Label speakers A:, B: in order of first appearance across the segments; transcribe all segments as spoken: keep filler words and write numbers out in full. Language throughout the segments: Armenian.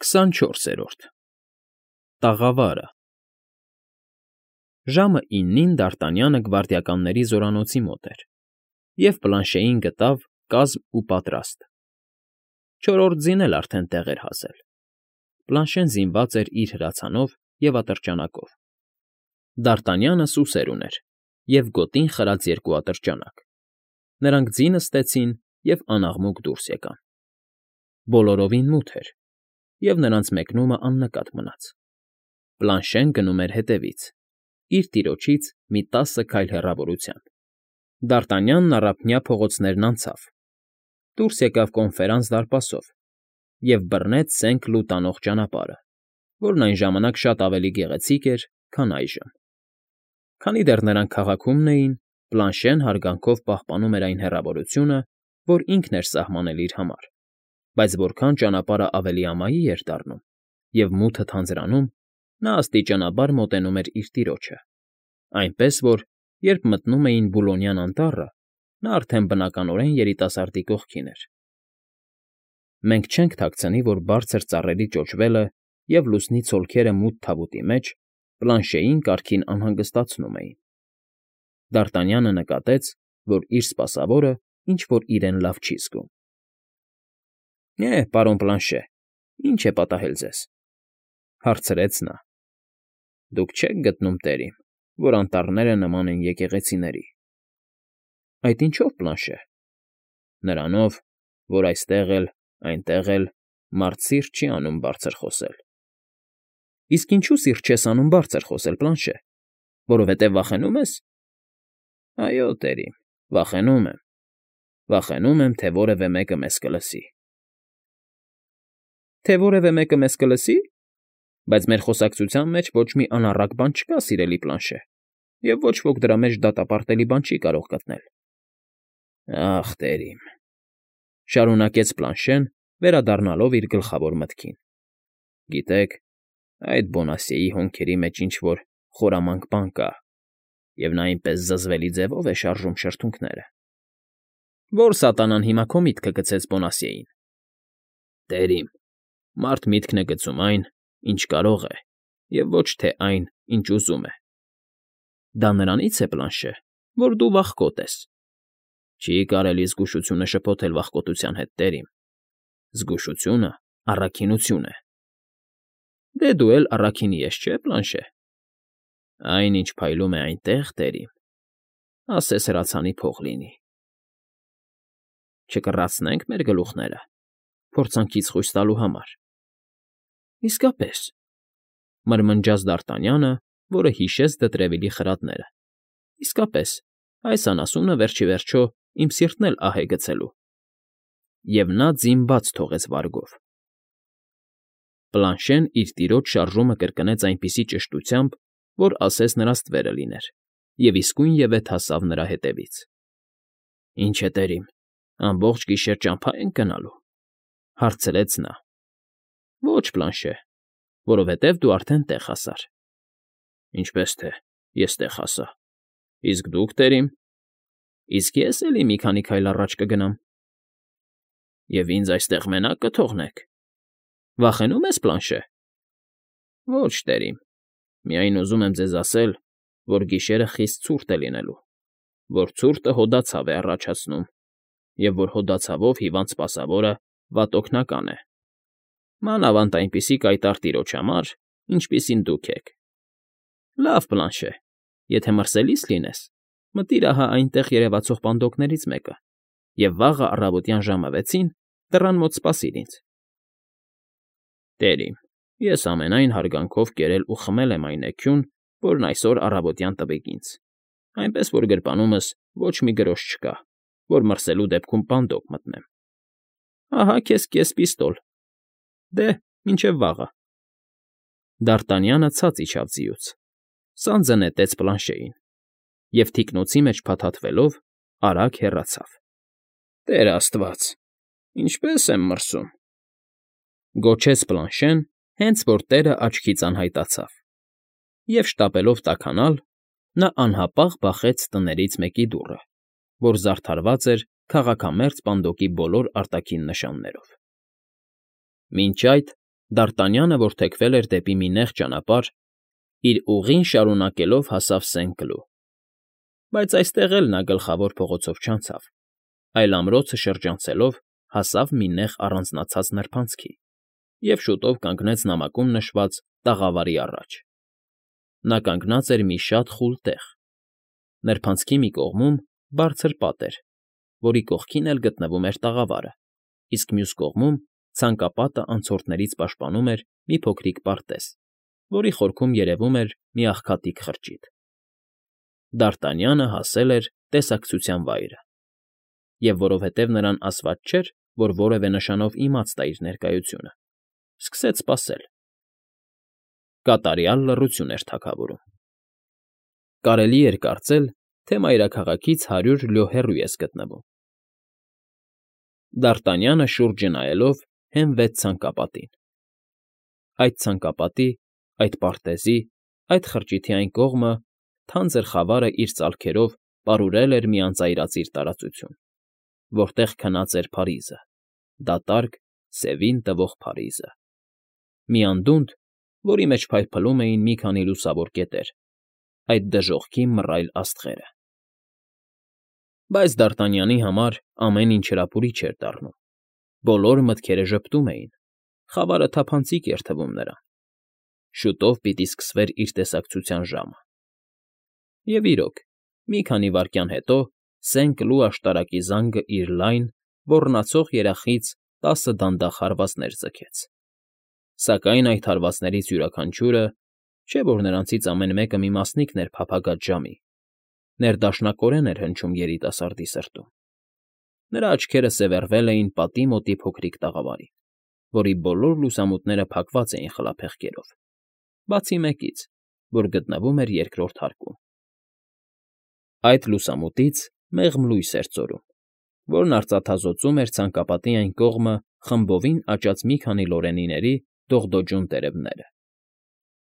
A: քսանչորսերորդ ՏԱՂԱՎԱՐԸ Ժամը իննին դարտանյանը գվարդիականների զորանոցի մոտ էր և Պլանշեին գտավ կազմ ու պատրաստ. չորրորդ ձին էլ արդեն տեղ էր հասել. Պլանշեն զինված էր իր հրացանով և ատրճանակով, Դարտանյանը սուսեր ուներ և գոտին խրած երկու ատրճանակ. նրանք ձի նստեցին և անաղմուկ դուրս եկան. բոլորովին մութ էր, և նրանց մեկնումն աննկատ մնաց. Պլանշեն գնում էր հետևից, իր տիրոջից մի տասը քայլ հեռավորությամբ. Դարտանյանն առափնյա փողոցներն անցավ, դուրս եկավ Կոնֆերանս դարպասով և բռնեց սենյակ լու տանող ճանապարհը, որն այն ժամանակ շատ ավելի գեղեցիկ էր, քան այժմ. Քանի դեռ նրանք քաղաքումն էին, Պլանշեն հարգանքով պահպանում էր այն հեռավորությունը, որ ինքն էր սահմանել իր համար, բայց որքան ճանապարհն ավելի ամայի էր դառնում և մութը թանձրանում, նա աստիճանաբար մոտենում էր իր տիրոջը, այնպես որ, երբ մտնում էին Բուլոնյան անտառը, նա արդեն բնականորեն երիտասարդի կողքին էր։ Մենք չենք թաքցնի, որ բարձր ծառերի ճոճվելը և լուսնի ցոլքերը մութ թավուտի մեջ Պլանշեին կարգին անհանգստացնում էին. Դարտանյանը նկատեց, որ իր սպասավորը ինչ֊որ իրեն լավ չի զգում։ ֊ Է, պարոն Պլանշե, ի՞նչ է պատահել ձեզ,֊ հարցրեց նա։ ֊ Դուք չե՞ք գտնում, տեր իմ, որ անտառները նման են եկեղեցիների։ ֊ Այդ ինչո՞վ, Պլանշե։ ֊ Նրանով, որ այստեղ էլ, այնտեղ էլ մարդ սիրտ չի անում բարձր խոսել։ ֊ Իսկ ինչո՞ւ սիրտ չես անում բարձր խոսել, Պլանշե, որովհետև վախենո՞ւմ ես։ ֊ Այո, տեր իմ, վախենում եմ, վախենում եմ, թե որևէ մեկը մեզ կլսի։ ֊ Թե որևէ մեկը մեզ կլսի։ Բայց մեր խոսակցության մեջ ոչ մի անառակ բան չկա, սիրելի Պլանշե, և ոչ ոք դրա մեջ դատապարտելի բան չի կարող գտնել։ ֊ Ախ, տեր իմ,֊ շարունակեց Պլանշեն, վերադառնալով իր գլխավոր մտքին,֊ գիտեք, այդ Բոնասիեի հոնքերի մեջ ինչ֊որ խորամանկ բան կա, և նա այնպես զզվելի ձևով է շարժում շրթունքները։ ֊ Ո՞ր սատանան հիմա քո միտքը գցեց Բոնասիեին։ ֊ Տեր իմ, մարդ միտքն է գցում այն, ինչ կարող է, և ոչ թե այն, ինչ ուզում է։ ֊ Դա նրանից է, Պլանշե, որ դու վախկոտ ես։ ֊ Չի կարելի զգուշությունը շփոթել վախկոտության հետ, տեր իմ, զգուշությունը առաքինություն է։ ֊ Դե դու էլ առաքինի ես, չէ՞, Պլանշե։ ֊ Այն, ինչ փայլում է այնտեղ, տեր իմ, ասես հրացանի փող լինի։ ֊ Չկռացնե՞նք մեր գլուխները, փորձանքից խույս տալու համար։ ֊ Իսկապես,֊ մրմնջաց Դարտանյանը, որը հիշեց դտրևելի խրատները,֊ իսկապես, այս անասունը վերջ ի վերջո իմ սիրտն էլ ահ է գցելու։ Եվ նա ձին բաց թողեց վարգով։ Պլանշեն իր տիրոջ շարժումը կրկնեց այնպիսի ճշտությամբ, որ ասես նրա ստվերը լիներ, և իսկույնևեթ հասավ նրա հետևից։ ֊ Ի՞նչ է, տեր իմ, ամբողջ գիշեր ճամփա ենք գնալու,֊ հարցրեց նա։ ֊ Ոչ, Պլանշե, որովհետև դու արդեն տեղ հասար։ ֊ Ինչպես թե ես տեղ հասա։ Իսկ դուք, տեր իմ։ ֊ Իսկ ես էլի մի քանի քայլ առաջ կգնամ։ ֊ Եվ ինձ այստեղ մենակ կթողնեք։ ֊ Վախենո՞ւմ ես, Պլանշե։ ֊ Ոչ, տեր իմ, միայն ուզում եմ ձեզ ասել, որ գիշերը խիստ ցուրտ է լինելու, որ ցուրտը հոդացավ է առաջացնում, և որ հոդացավով հիվանդ սպասավորը վատ օգնական է, մանավանդ այնպիսի կայտառ տիրոջ համար, ինչպիսին դուք եք։ ֊ Լավ, Պլանշե, եթե մրսելիս լինես, մտիր ահա այնտեղ երևացող պանդոկներից մեկը և վաղը առավոտյան ժամը վեցին դռան մոտ սպասիր ինձ։ ֊ Տեր իմ, ես ամենայն հարգանքով կերել ու խմել եմ այն էգյուն, որն այսօր առավոտյան տվիք ինձ, այնպես որ գրպանումս ոչ մի գրոշ չկա, որ մրսելու դեպքում պանդոկ մտնեմ։ Ահա քեզ կես պիստոլ։ Դե, մինչև վաղը։ Դարտանյանը ցած իջավ ձիուց, սանձը նետեց Պլանշեին և, թիկնոցի մեջ փաթաթվելով, արագ հեռացավ։ ֊ Տեր աստված, ինչպե՜ս եմ մրսում,֊ գոչեց Պլանշեն, հենց որ տեղը աչքից անհայտացավ, և, շտապելով տաքանալ, նա անհապաղ բախեց տներից մեկի դուռը, որ զարդարված էր քաղաքամերձ պանդոկի բոլոր արտաքին նշաններով։ Մինչ այդ Դարտանյանը, որ թեքվել էր դեպի մի նեղ ճանապարհ, իր ուղին շարունակելով հասավ Սեն֊Կլու. բայց այստեղ էլ նա գլխավոր փողոցով չանցավ, այլ ամրոցը շրջանցելով հասավ մի նեղ առանձնացած նրբանցքի և շուտով կանգնեց նամակում նշված տաղավարի առաջ. նա կանգնած էր մի շատ խուլ տեղ. նրբանցքի մի կողմում բարձր պատ էր, որի կողքին էլ գտնվում էր տաղավարը, իսկ մյուս կողմում ցանկապատը անցորդներից պաշտպանում էր մի փոքրիկ պարտեզ, որի խորքում երևում էր մի աղքատիկ խրճիթ. Դարտանյանը հասել էր տեսակցության վայրը, և որովհետև նրան ասված չէր, որ որևէ նշանով իմաց տա իր ներկայությունը, սկսեց սպասել. կատարյալ լռություն էր թագավորում. կարելի էր կարծել, թե մայրաքաղաքից հարյուր լյո հեռու ես գտնվում։ Դարտանյանը շուրջը նայելով հենվեց ցանկապատին. այդ ցանկապատի, այդ պարտեզի, այդ խրճիթի այն կողմը թանձր խավարը իր ծալքերով պարուրել էր մի անծայրածիր տարածություն, որտեղ քնած էր Փարիզը, դատարկ, սևին տվող Փարիզը, մի անդունդ, որի մեջ փայլփլում էին մի քանի լուսավոր կետեր, այդ դժոխքի մռայլ աստղերը։ Բայց Դարտանյանի համար ամեն ինչ հրապուրիչ էր դառնում, բոլոր մտքերը ժպտում էին, խավարը թափանցիկ էր թվում նրան, շուտով պիտի սկսվեր իր տեսակցության ժամը։ Եվ իրոք, մի քանի վայրկյան հետո Սեն֊Կլու աշտարակի զանգը իր լայն, ոռնացող երախից տասը դանդաղ հարվածներ ձգեց, սակայն այդ հարվածներից յուրաքանչյուրը, չէ՞ որ նրանցից ամեն մեկը մի մասնիկն էր փափագած ժամի, ներդաշնակորեն էր հնչում երիտասարդի սրտում։ Նրա աչքերը սևեռվել էին պատի մոտի փոքրիկ տաղավարին, որի բոլոր լուսամուտները փակված էին խլափեղկերով, բացի մեկից, որ գտնվում էր երկրորդ հարկում։ Այդ լուսամուտից մեղմ լույս էր ծորում, որն արծաթազօծում էր ցանկապատի այն կողմը խմբովին աճած մի քանի լորենիների դողդոջուն տերևները։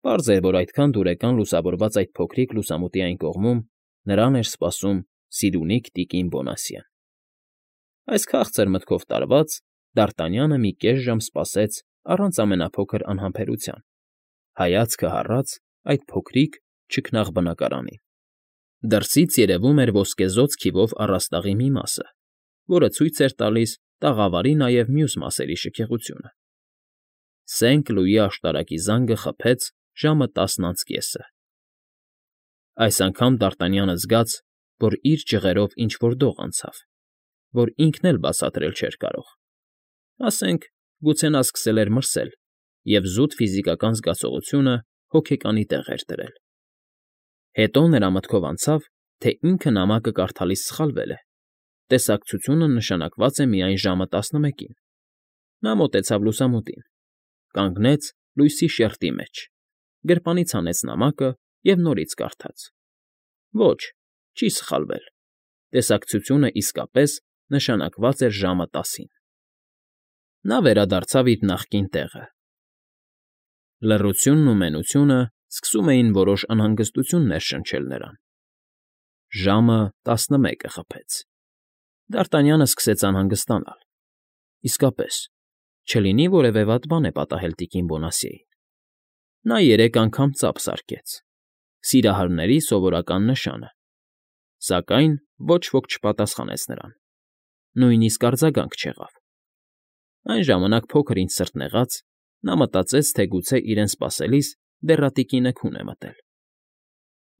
A: Պարզ էր, որ այդքան դուրեկան լուսավորված այդ փոքրիկ լուսամուտի այն կողմում նրան էր սպասում Սիրունիկ տիկին Բոնասյեն։ Այս քաղցր մտքով տարված, Դարտանյանը մի կես ժամ սպասեց առանց ամենափոքր անհամբերության, հայացքը հառած այդ փոքրիկ, չքնաղ բնակարանին։ Դրսից երևում էր ոսկեզօծ քիվով առաստաղի մի մասը, որը ցույց էր տալիս տաղավարի նաև մյուս մասերի շքեղությունը։ Սեն֊Կլուի աշտարակի զանգը խփեց ժամը տասն անց կեսը։ Այս անգամ Դարտանյանը զգաց, որ իր ջղերով ինչ֊որ դող անցավ, որ ինքն էլ բացատրել չէր կարող։ Ասենք, գուցե նա սկսել էր մրսել, և զուտ ֆիզիկական զգացողությունը հոգեկանի տեղ էր դրել։ Հետո նրա մտքով անցավ, թե ինքը նամակը կարդալիս սխալվել է, տեսակցությունը նշանակված է միայն ժամը տասնմեկին։ Նա մոտեցավ լուսամուտին, կանգնեց լույսի շերջի մեջ, գրպանից հանեց նամակը և նորից կարդաց. ոչ, չի սխալվել, տեսակցությունը իսկապես նշանակված էր ժամը տասին։ Նա վերադարձավ իր նախկին տեղը։ Լռությունն ու մենությունը սկսում էին որոշ անհանգստություն ներշնչել նրան։ Ժամը տասնմեկը խփեց։ Դարտանյանը սկսեց անհանգստանալ։ Իսկապես, չլինի որևէ վատ բան է պատահել տիկին Բոնասյեին։ Նա երեք անգամ ծափ զարկեց՝ սիրահարների սովորական նշանը, սակայն ոչ ոք չպատասխանեց նրան, նույնիսկ արձագանք չեղավ։ Այն ժամանակ փոքր֊ինչ սրտնեղած, նա մտածեց, թե գուցե իրեն սպասելիս դեռատիկինը քուն է մտել։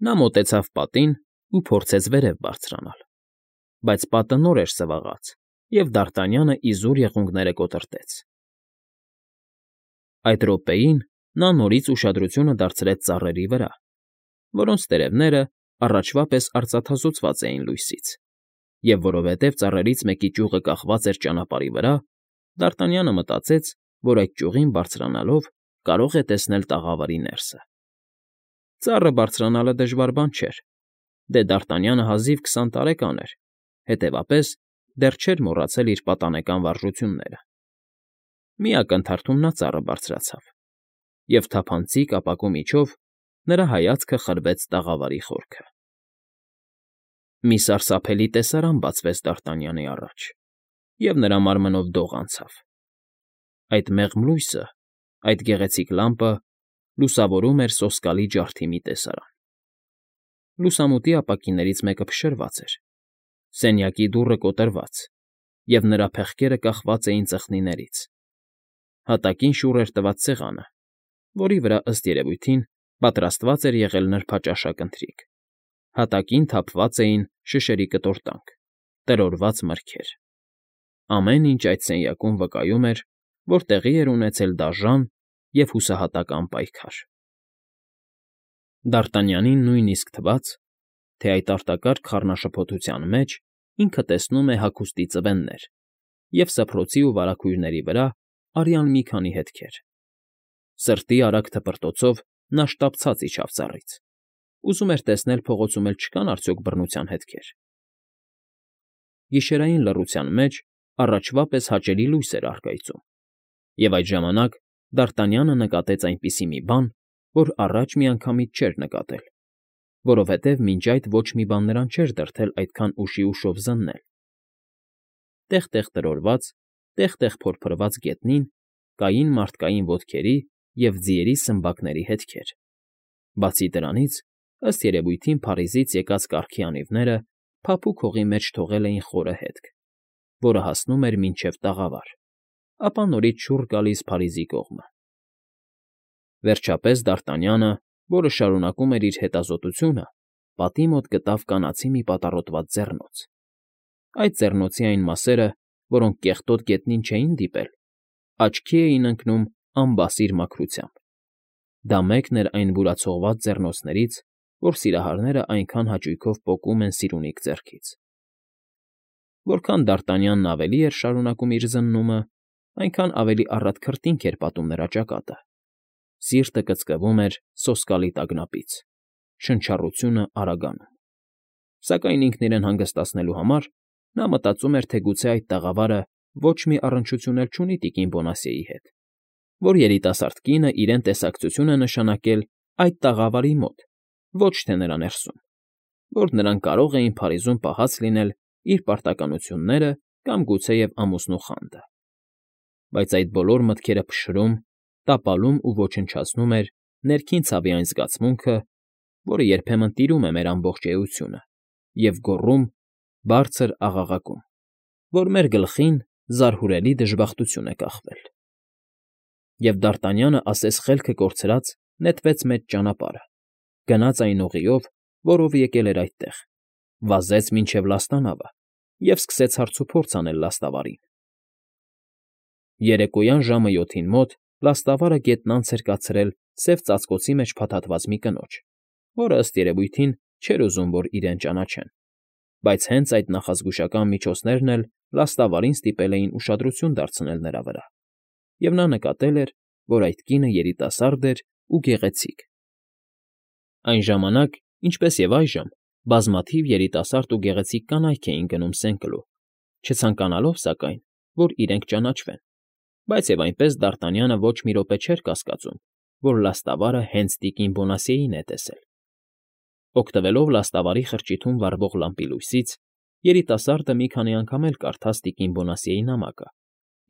A: Նա մոտեցավ պատին ու փորձեց վերև բարձրանալ, բայց պատը նոր էր սվաղած, և Դարտանյանը իզուր եղունգները կոտրտեց։ Այդ րոպեին նա նորից ուշադրությունը դարձրեց ծառերի վրա, որոնց տերևները առաջվա պես արծաթազօծված էին լույսից, և որովհետև ծառերից մեկի ճյուղը կախված էր ճանապարհի վրա, Դարտանյանը մտածեց, որ այդ ճյուղին բարձրանալով կարող է տեսնել տաղավարի ներսը։ Ծառը բարձրանալը դժվար բան չէր, դե Դարտանյանը հազիվ քսան տարեկան էր, հետևապես դեռ չէր մոռացել իր պատանեկան վարժությունները։ Մի ակնթարթում նա ծառը բարձրացավ, և թափանցիկ ապակու միջով նրա հայացքը խրվեց տաղավարի խորքը։ Մի սարսափելի տեսարան բացվեց Դարտանյանի առաջ, և նրա մարմնով դող անցավ։ Այդ մեղմ լույսը, Այդ գեղեցիկ լամպը լուսավորում էր սոսկալի ջարդի մի տեսարան։ Լուսամուտի ապակիներից մեկը փշրված էր, սենյակի դուռը կոտրված, և նրա փեղկերը կախված էին ծխնիներից։ Հատակին շուռ էր տված սեղանը, որի վրա, ըստ երևույթին, պատրաստված էր եղել նրբաճաշակ ընթրիք։ Հատակին թափված էին շշերի կտորտանք, տրորված մրգեր։ Ամեն ինչ այդ սենյակում վկայում էր, որ տեղի էր ունեցել դաժան և հուսահատական պայքար։ Դարտանյանին նույնիսկ թվաց, թե այդ արտակարգ խառնաշփոթության մեջ ինքը տեսնում է հագուստի ծվեններ և սփռոցի ու վարագույրների վրա արյան մի քանի հետքեր։ Սրտի արագ թպրտոցով նա շտապցած իջավ ծառից, ուզում էր տեսնել փողոցում էլ չկան արդյոք բռնության հետքեր։ Գիշերային լռության մեջ առաջվա պես հաճելի լույս էր առկայծում, և այդ ժամանակ Դարտանյանը նկատեց այնպիսի մի բան, որ առաջ միանգամից չէր նկատել, որովհետև մինչ այդ ոչ մի բան նրան չէր դրդել այդքան ուշի ուշով զննել։ Տեղ֊տեղ տրորված, տեղ֊տեղ փորփրված գետնին կային մարդկային ոտքերի և ձիերի սմբակների հետքեր։ Բացի դրանից, ըստ երևույթին Փարիզից եկած կառքի անիվները փափուկ հողի մեջ թողել էին խորը հետք, որը հասնում էր մինչև տաղավար, ապա նորից շուռ գալիս Փարիզի կողմը։ Վերջապես Դարտանյանը, որը շարունակում էր իր հետազոտությունը, պատի մոտ գտավ կանացի մի պատառոտված ձեռնոց։ Այդ ձեռնոցի այն մասերը, որոնք կեղտոտ գետնին չէին դիպել, աչքի էին ընկնում անբասիր մաքրությամբ։ Դա մեկն էր այն բուրացողված ձեռնոցներից, որ սիրահարները այնքան հաճույքով պոկում են սիրունիկ ձեռքից։ Որքան Դարտանյանն ավելի էր շարունակում իր զննումը, այնքան ավելի առատ քրտինք էր պատում նրա ճակատը։ Սիրտը կծկվում էր սոսկալի տագնապից, շնչառությունը արագանում։ Սակայն ինքն իրեն հանգստացնելու համար նա մտածում էր, թե գուցե այդ տաղավարը ոչ մի առնչություն էլ չունի տիկին Բոնասիեի հետ, որ երիտասարդ կինը իրեն տեսակցություն է նշանակել այդ տաղավարի մոտ, ոչ թե նրա ներսում, որ նրանք կարող էին Փարիզում պահած լինել իր պարտականությունները կամ գուցեև ամուսնու խանդը։ Բայց այդ բոլոր մտքերը փշրում, տապալում ու ոչնչացնում էր ներքին ցավի այն զգացմունքը, որը երբեմն տիրում է մեր ամբողջ էությունը, և գոռում, բարձր աղաղակում, որ մեր գլխին զարհուրելի դժբախտություն է կախվել։ Եվ Դարտանյանը ասես խելքը կորցրած նետվեց մեծ ճանապարհը, գնաց այն ուղիով, որով եկել էր այդտեղ, վազեց մինչև լաստանավը և սկսեց հարցուփորձ անել լաստավարին։ Երեկոյան ժամը յոթին մոտ լաստավարը գետն անց էր կացրել սև ծածկոցի մեջ փաթաթված մի կնոջ, որը, ըստ երևույթին, չէր ուզում, որ իրեն ճանաչեն, բայց հենց այդ նախազգուշական միջոցներն էլ լաստավարին ստիպել էին ուշադրություն դարձնել նրա վրա, և նա նկատել էր, որ այդ կինը երիտասարդ էր ու գեղեցիկ։ Այն ժամանակ, ինչպես և այժմ, բազմաթիվ երիտասարդ ու գեղեցիկ կանայք էին գնում Սենկլու, չցանկանալով, սակայն, որ իրենք ճանաչվեն, բայց և այնպես Դարտանյանը ոչ մի րոպե չէր կասկածում, որ լաստավարը հենց տիկին Բոնասիեին է տեսել։ Օգտվելով լաստավարի խրճիթում վառվող լամպի լույսից, երիտասարդը մի քանի անգամ էլ կարդաց տիկին Բոնասիեի նամակը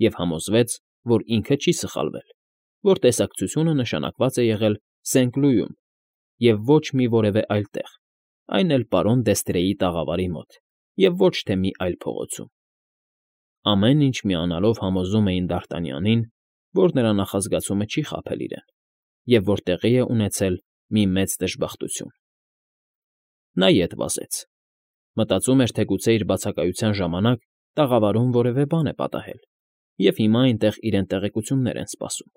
A: և համոզվեց, որ ինքը չի սխալվել, որ տեսակցությունը նշանակված է եղել Սենկլուում և ոչ մի որևէ այլ տեղ, այն էլ պարոն Դեստրեի տաղավարի մոտ և ոչ թե մի այլ փողոցում։ Ամեն ինչ միանալով համոզում էին Դարտանյանին, որ նրա նախազգացումը չի խաբել իրեն, և որ տեղի է ունեցել մի մեծ դժբախտություն։ Նա ետ վազեց։ Մտածում էր, թե գուցե իր բացակայության ժամանակ տաղավարում որևէ բան է պատահել, և հիմա այնտեղ իրեն տեղեկություններ են սպասում։